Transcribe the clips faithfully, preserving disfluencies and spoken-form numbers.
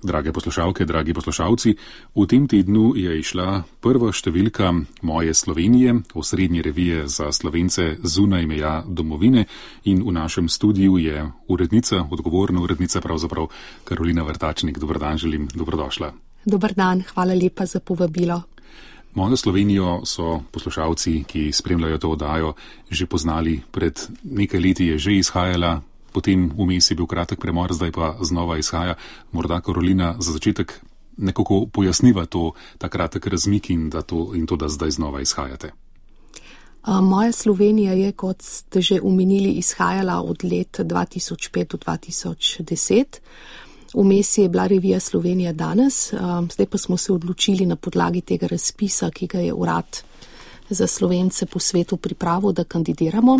Drage poslušalke, dragi poslušalci, v tem tednu je išla prva številka Moje Slovenije, osrednje revije za Slovence zunaj meja domovine, in v našem studiu je urednica, odgovorna urednica pravzaprav Karolina Vrtačnik. Dober dan, želim, dobrodošla. Dober dan, hvala lepa za povabilo. Mojo Slovenijo so poslušalci, ki spremljajo to oddajo, že poznali. Pred nekaj leti je že izhajala, potem vmes je bil kratek premor, zdaj pa znova izhaja. Morda, Karolina, za začetek nekako pojasniva to, ta kratek razmik in, da to, in to, da zdaj znova izhajate. Moja Slovenija je, kot ste že omenili, izhajala od let dva tisoč pet do dva tisoč deset. Vmes je bila revija Slovenija danes, zdaj pa smo se odločili na podlagi tega razpisa, ki ga je Urad za Slovence po svetu pripravil, da kandidiramo.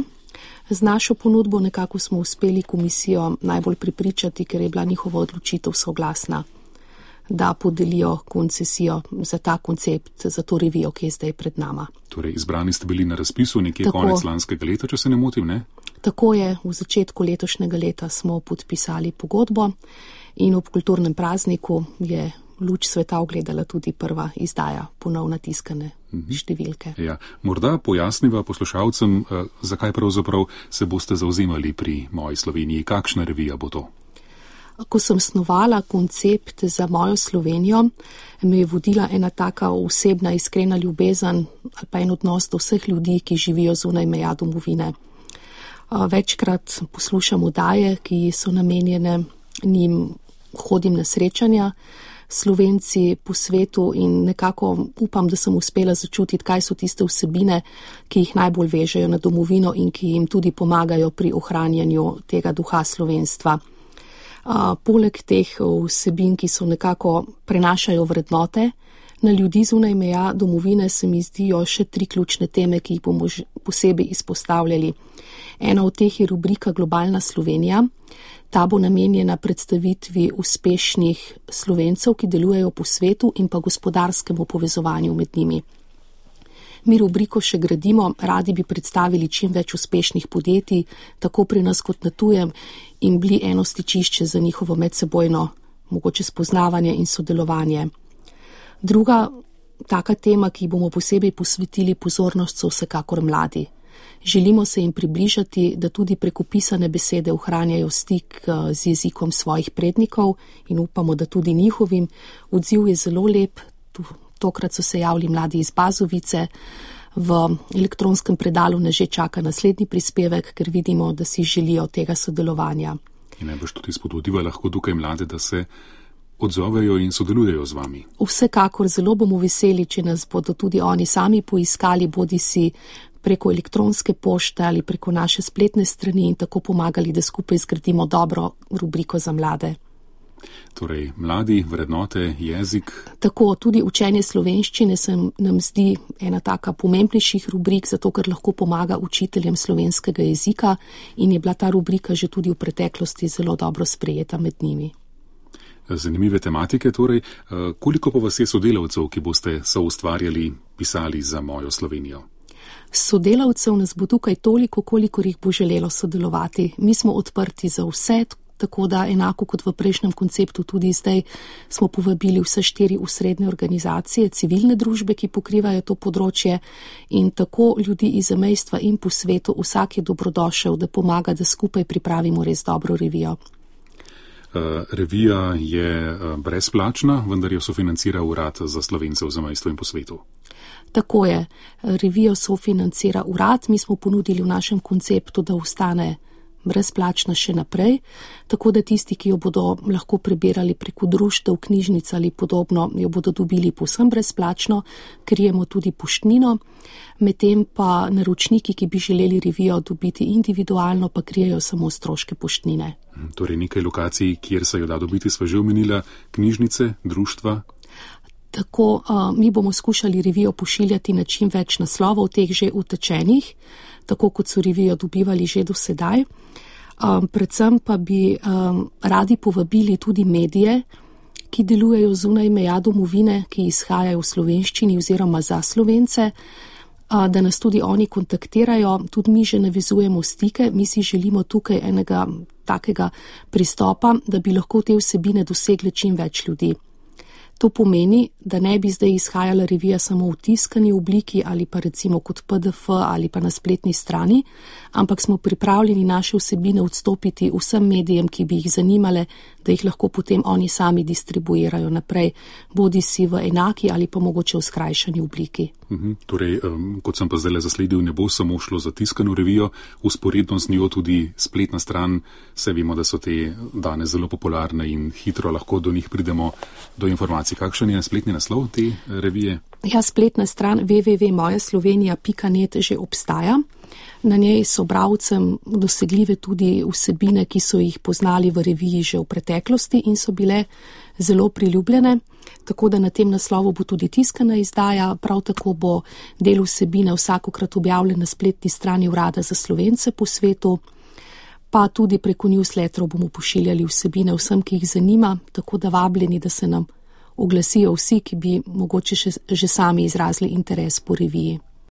Z našo ponudbo nekako smo uspeli komisijo najbolj prepričati, ker je bila njihova odločitev soglasna, da podelijo koncesijo za ta koncept, za to revijo, ki je zdaj pred nama. Torej, izbrani ste bili na razpisu nekje Tako, konec lanskega leta, če se ne motim, ne? Tako je, v začetku letošnjega leta smo podpisali pogodbo in ob kulturnem prazniku je luč sveta ugledala tudi prva izdaja ponovno tiskane številke. Ja, morda pojasniva poslušalcem, zakaj pravzaprav se boste zauzemali pri Moji Sloveniji, kakšna revija bo to? Ko sem snovala koncept za Mojo Slovenijo, me je vodila ena taka osebna, iskrena ljubezen ali pa en odnos do vseh ljudi, ki živijo zunaj meja domovine. Večkrat poslušam oddaje, ki so namenjene njim, hodim na srečanja Slovenci po svetu in nekako upam, da sem uspela začutiti, kaj so tiste vsebine, ki jih najbolj vežejo na domovino in ki jim tudi pomagajo pri ohranjanju tega duha slovenstva. Uh, poleg teh vsebin, ki so nekako prenašajo vrednote na ljudi zunaj meja domovine, se mi zdijo še tri ključne teme, ki jih bomo posebej izpostavljali. Ena od teh je rubrika Globalna Slovenija. Ta bo namenjena predstavitvi uspešnih Slovencev, ki delujejo po svetu, in pa gospodarskemu povezovanju med njimi. Mi rubriko še gradimo, radi bi predstavili čim več uspešnih podjetij, tako pri nas kot na tujem, in bili eno stičišče za njihovo medsebojno mogoče spoznavanje in sodelovanje. Druga taka tema, ki bomo posebej posvetili pozornost, so vsekakor mladi. Želimo se jim približati, da tudi preko pisane besede ohranjajo stik z jezikom svojih prednikov in upamo, da tudi njihovim. Odziv je zelo lep. Tokrat so se javili mladi iz Bazovice. V elektronskem predalu nas že čaka naslednji prispevek, ker vidimo, da si želijo tega sodelovanja. In najbrž tudi spodbudiva lahko tukaj mlade, da se odzovejo in sodelujejo z vami. Vsekakor zelo bomo veseli, če nas bodo tudi oni sami poiskali, bodi si preko elektronske pošte ali preko naše spletne strani, in tako pomagali, da skupaj zgradimo dobro rubriko za mlade. Torej, mladi, vrednote, jezik. Tako, tudi učenje slovenščine se nam zdi ena taka pomembnejših rubrik, zato ker lahko pomaga učiteljem slovenskega jezika in je bila ta rubrika že tudi v preteklosti zelo dobro sprejeta med njimi. Zanimive tematike, torej. Koliko pa vas je sodelavcev, ki boste soustvarjali, pisali za Mojo Slovenijo? Sodelavcev nas bo tukaj toliko, kolikor jih bo želelo sodelovati. Mi smo odprti za vse, tako da enako kot v prejšnjem konceptu tudi zdaj smo povabili vse štiri osrednje organizacije, civilne družbe, ki pokrivajo to področje, in tako ljudi iz zamejstva in po svetu. Vsak je dobrodošel, da pomaga, da skupaj pripravimo res dobro revijo. Revija je brezplačna, vendar jo sofinancira Urad za Slovence v zamejstvu in po svetu. Tako je. Revijo sofinancira Urad. Mi smo ponudili v našem konceptu, da ostane brezplačna še naprej, tako da tisti, ki jo bodo lahko prebirali preko društev, knjižnic ali podobno, jo bodo dobili povsem brezplačno, krijemo tudi poštnino, medtem pa naročniki, ki bi želeli revijo dobiti individualno, pa krijejo samo stroške poštnine. Torej nekaj lokacij, kjer se jo da dobiti, sva že omenila, knjižnice, društva. Tako, mi bomo skušali revijo pošiljati na čim več naslovov, teh že utečenih, tako kot so revijo dobivali že do sedaj. Um, predvsem pa bi um, radi povabili tudi medije, ki delujejo zunaj meja domovine, ki izhajajo v slovenščini oziroma za Slovence, uh, da nas tudi oni kontaktirajo. Tudi mi že navezujemo stike, mi si želimo tukaj enega takega pristopa, da bi lahko te vsebine dosegle čim več ljudi. To pomeni, da ne bi zdaj izhajala revija samo v tiskani obliki ali pa recimo kot P D F ali pa na spletni strani, ampak smo pripravljeni naše vsebine odstopiti vsem medijem, ki bi jih zanimale, da jih lahko potem oni sami distribuirajo naprej, bodi si v enaki ali pa mogoče v skrajšani obliki. Uhum, torej, um, kot sem pa zdaj le zasledil, ne bo samo šlo za tiskano revijo, usporedno z njo tudi spletna stran, se vemo, da so te danes zelo popularne in hitro lahko do njih pridemo do informacij. Kakšen je spletni naslov te revije? Ja, spletna stran w w w pika moja slovenija pika net že obstaja. Na njej so bralcem dosegljive tudi vsebine, ki so jih poznali v reviji že v preteklosti in so bile zelo priljubljene. Tako da na tem naslovu bo tudi tiskana izdaja, prav tako bo del vsebine vsakokrat objavljen na spletni strani Urada za Slovence po svetu, pa tudi preko newsletterov bomo pošiljali vsebine vsem, ki jih zanima, tako da vabljeni, da se nam oglasijo vsi, ki bi mogoče še, že sami izrazili interes po reviji.